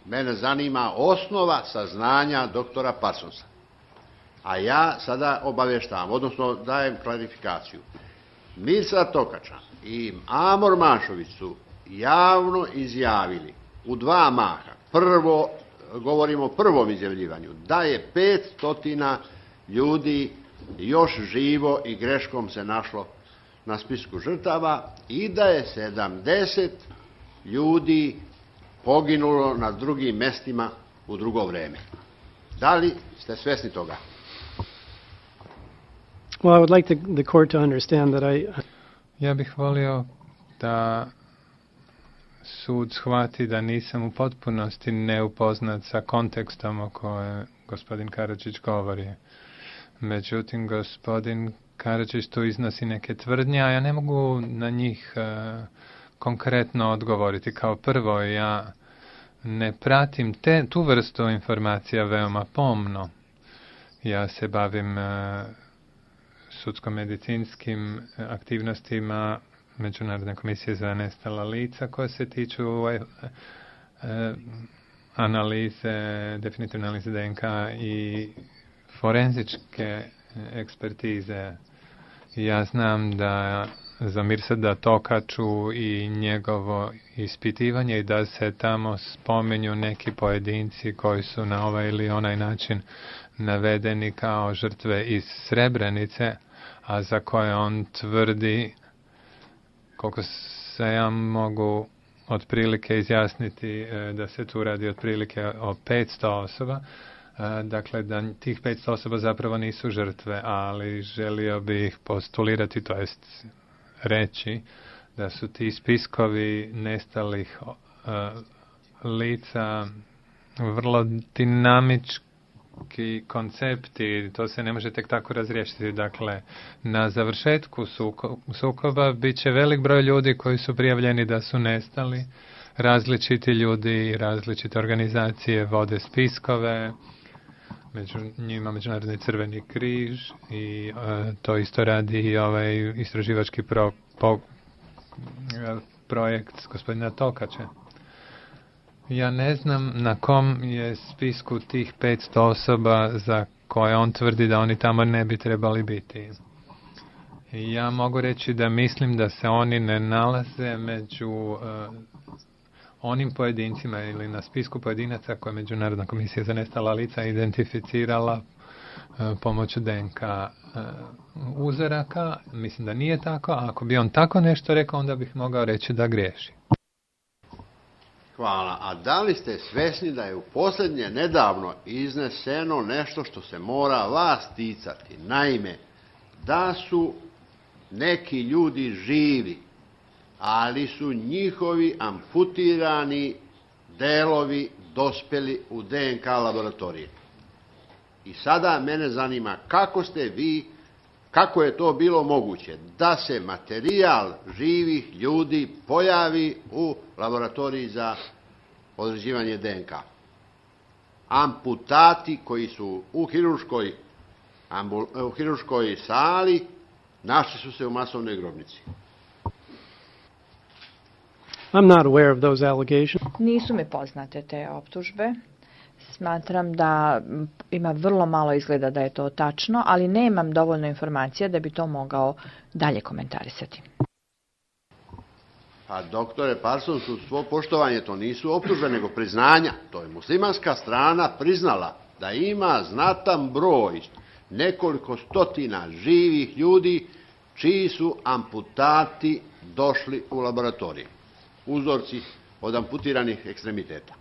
Mene zanima osnova saznanja doktora Parsonsa. A ja sada obavještavam, odnosno dajem klarifikaciju. Mirsad Tokača i Amor Mašović su javno izjavili u dva maha. Prvo, govorimo o prvom izjavljivanju, da je 500 ljudi još živo i greškom se našlo na spisku žrtava i da je 70 ljudi poginulo na drugim mestima u drugo vreme. Da li ste svjesni toga? Well, I would like the court to understand that Ja bih volio da sud shvati da nisam u potpunosti neupoznat sa kontekstom o kojem gospodin Karadžić govori. Međutim, gospodin Karadžić tu iznosi neke tvrdnje, a ja ne mogu na njih konkretno odgovoriti. Kao prvo, ja ne pratim tu vrstu informacija veoma pomno. Ja se bavim sudsko-medicinskim aktivnostima Međunarodne komisije za nestala lica koje se tiču analize, definitivne analize DNK i forenzičke ekspertize. Ja znam da za Mirsada Tokaču i njegovo ispitivanje i da se tamo spominju neki pojedinci koji su na ovaj ili onaj način navedeni kao žrtve iz Srebrenice, a za koje on tvrdi, koliko se ja mogu otprilike izjasniti, da se tu radi otprilike o 500 osoba. Dakle, da tih 500 osoba zapravo nisu žrtve, ali želio bih postulirati, to jest reći, da su ti spiskovi nestalih lica vrlo dinamički koncepti, to se ne može tek tako razriješiti. Dakle, na završetku sukoba bit će velik broj ljudi koji su prijavljeni da su nestali, različiti ljudi, različite organizacije vode spiskove, među njima Međunarodni crveni križ i to isto radi i ovaj istraživački projekt gospodina Tokača. Ja ne znam na kom je spisku tih 500 osoba za koje on tvrdi da oni tamo ne bi trebali biti. Ja mogu reći da mislim da se oni ne nalaze među onim pojedincima ili na spisku pojedinaca koje Međunarodna komisija za nestala lica identificirala pomoću DNK uzoraka. Mislim da nije tako, a ako bi on tako nešto rekao, onda bih mogao reći da griješi. Hvala. A da li ste svjesni da je u posljednje nedavno izneseno nešto što se mora vas ticati? Naime, da su neki ljudi živi, ali su njihovi amputirani delovi dospjeli u DNK laboratorije. I sada mene zanima kako je to bilo moguće da se materijal živih ljudi pojavi u laboratoriji za određivanje DNK. Amputati koji su u hirurškoj sali našli su se u masovnoj grobnici. I'm not aware of those allegations. Nisu mi poznate te optužbe. Smatram da ima vrlo malo izgleda da je to tačno, ali nemam dovoljno informacija da bi to mogao dalje komentarisati. Pa, doktore Parsons, uz svo poštovanje, to nisu optužbe, nego priznanja. To je muslimanska strana priznala da ima znatan broj, nekoliko stotina živih ljudi, čiji su amputati došli u laboratoriju. Uzorci od amputiranih ekstremiteta.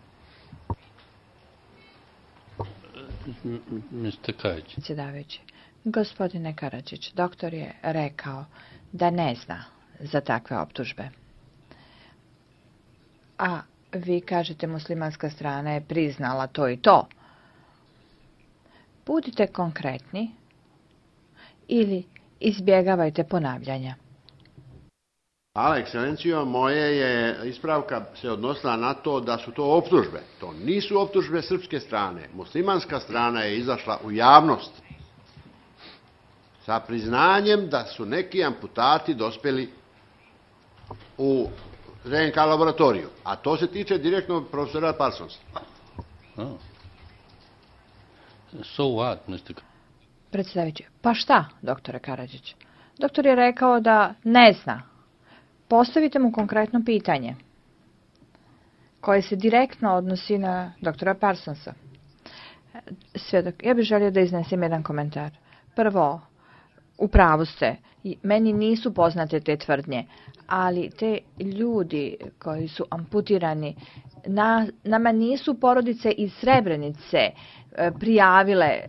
Predsjedavajući, gospodine Karadžić, doktor je rekao da ne zna za takve optužbe. A vi kažete muslimanska strana je priznala to i to. Budite konkretni ili izbjegavajte ponavljanja. Hvala, ekscelencijo, moje je ispravka se odnosila na to da su to optužbe. To nisu optužbe srpske strane. Muslimanska strana je izašla u javnost sa priznanjem da su neki amputati dospjeli u DNK laboratoriju. A to se tiče direktno profesora Parsonsa. Oh. So what, Mr. Predsjedavajući, pa šta, doktore Karadžić? Doktor je rekao da ne zna. Postavite mu konkretno pitanje koje se direktno odnosi na doktora Parsonsa. Svjedok, ja bih želio da iznesem jedan komentar. Prvo, u pravu ste, meni nisu poznate te tvrdnje, ali te ljudi koji su amputirani, nama nisu porodice iz Srebrenice prijavile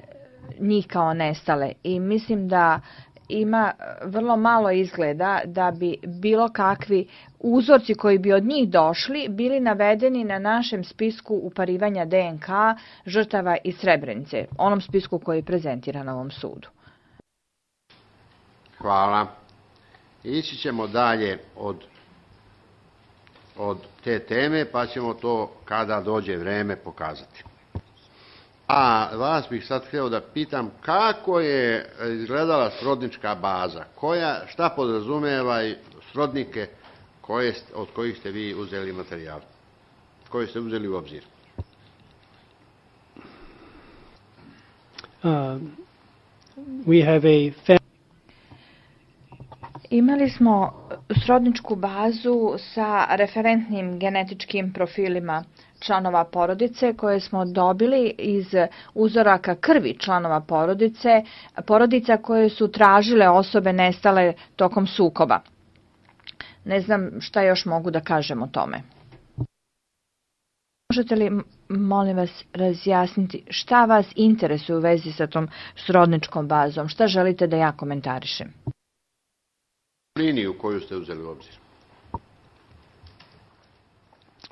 njih kao nestale i mislim da ima vrlo malo izgleda da bi bilo kakvi uzorci koji bi od njih došli bili navedeni na našem spisku uparivanja DNK žrtava iz Srebrenice, onom spisku koji je prezentiran na ovom sudu. Hvala. Ići ćemo dalje od te teme, pa ćemo to kada dođe vreme pokazati. A vas bih sad htio da pitam kako je izgledala srodnička baza, šta podrazumeva srodnike od kojih ste vi uzeli materijal, koje ste uzeli u obzir? We have a Imali smo srodničku bazu sa referentnim genetičkim profilima članova porodice koje smo dobili iz uzoraka krvi članova porodica koje su tražile osobe nestale tokom sukoba. Ne znam šta još mogu da kažem o tome. Možete li, molim vas, razjasniti šta vas interesuje u vezi sa tom srodničkom bazom? Šta želite da ja komentarišem? Liniju koju ste uzeli u obzir.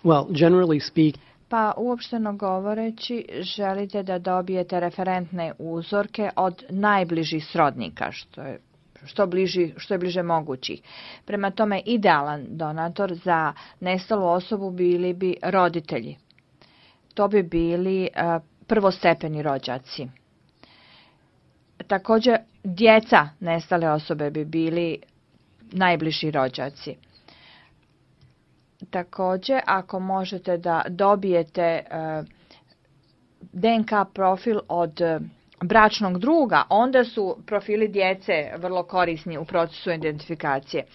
Well, generally speaking, Pa uopšteno govoreći, želite da dobijete referentne uzorke od najbližih srodnika, što je bliže mogućih. Prema tome, idealan donator za nestalu osobu bili bi roditelji. To bi bili prvostepeni rođaci. Također, djeca nestale osobe bi bili najbliži rođaci. Također, ako možete da dobijete DNK profil od bračnog druga, onda su profili djece vrlo korisni u procesu identifikacije.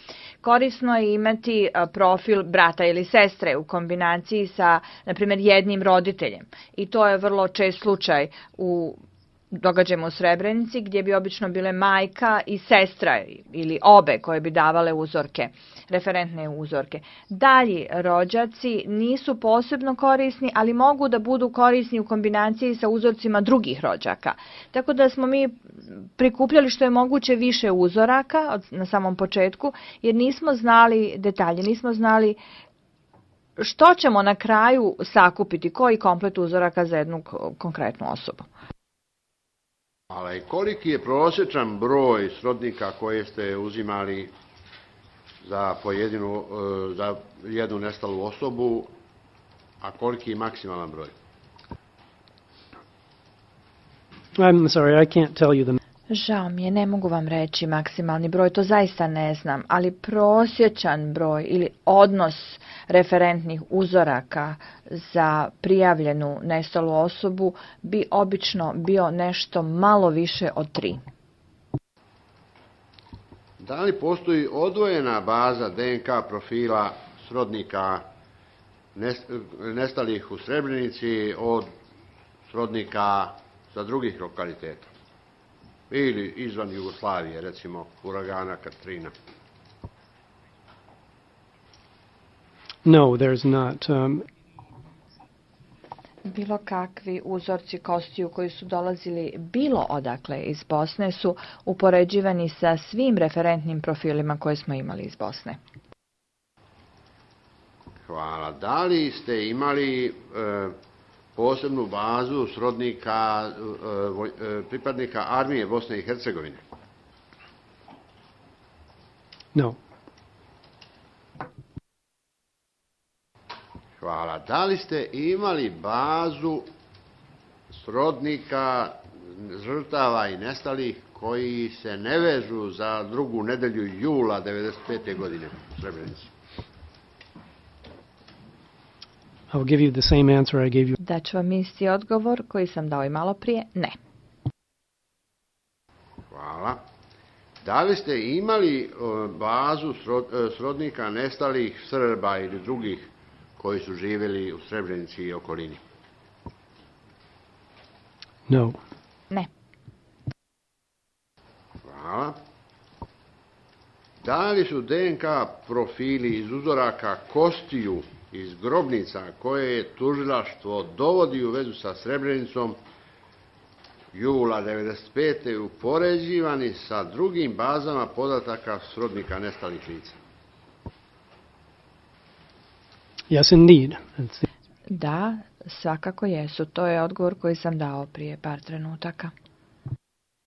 Korisno je imati profil brata ili sestre u kombinaciji sa, na primjer, jednim roditeljem. I to je vrlo čest slučaj u događajima u Srebrenici, gdje bi obično bile majka i sestra ili obe koje bi davale uzorke, referentne uzorke. Dalji rođaci nisu posebno korisni, ali mogu da budu korisni u kombinaciji sa uzorcima drugih rođaka. Tako da smo mi prikupljali što je moguće više uzoraka na samom početku, jer nismo znali detalje, nismo znali što ćemo na kraju sakupiti, koji komplet uzoraka za jednu konkretnu osobu. Ali koliki je prosječan broj srodnika koje ste uzimali za jednu nestalu osobu, a koliki je maksimalan broj? I'm sorry, I can't tell you the... Žao mi je, ne mogu vam reći maksimalni broj, to zaista ne znam, ali prosječan broj ili odnos referentnih uzoraka za prijavljenu nestalu osobu bi obično bio nešto malo više od 3. Da li postoji odvojena baza DNK profila srodnika nestalih u Srebrenici od srodnika sa drugih lokaliteta? Ili izvan Jugoslavije, recimo uragana Katrina? No, there's not. Bilo kakvi uzorci kostiju koji su dolazili bilo odakle iz Bosne su upoređivani sa svim referentnim profilima koje smo imali iz Bosne. Hvala. Da li ste imali posebnu bazu srodnika pripadnika armije Bosne i Hercegovine? No. Hvala. Da li ste imali bazu srodnika žrtava i nestalih koji se ne vežu za drugu nedelju jula 1995. godine u Srebrenici? I'll give you the same answer I gave you. Daću vam isti odgovor koji sam dao i malo prije. Ne. Hvala. Da li ste imali bazu srodnika nestalih Srba ili drugih koji su živjeli u Srebrenici i okolini? No. Ne. Hvala. Da li su DNK profili iz uzoraka kostiju iz grobnica koje je tužilaštvo dovodi u vezu sa Srebrenicom jula 1995. upoređivani sa drugim bazama podataka srodnika nestalih lica? Yes, indeed. Da, svakako jesu. To je odgovor koji sam dao prije par trenutaka.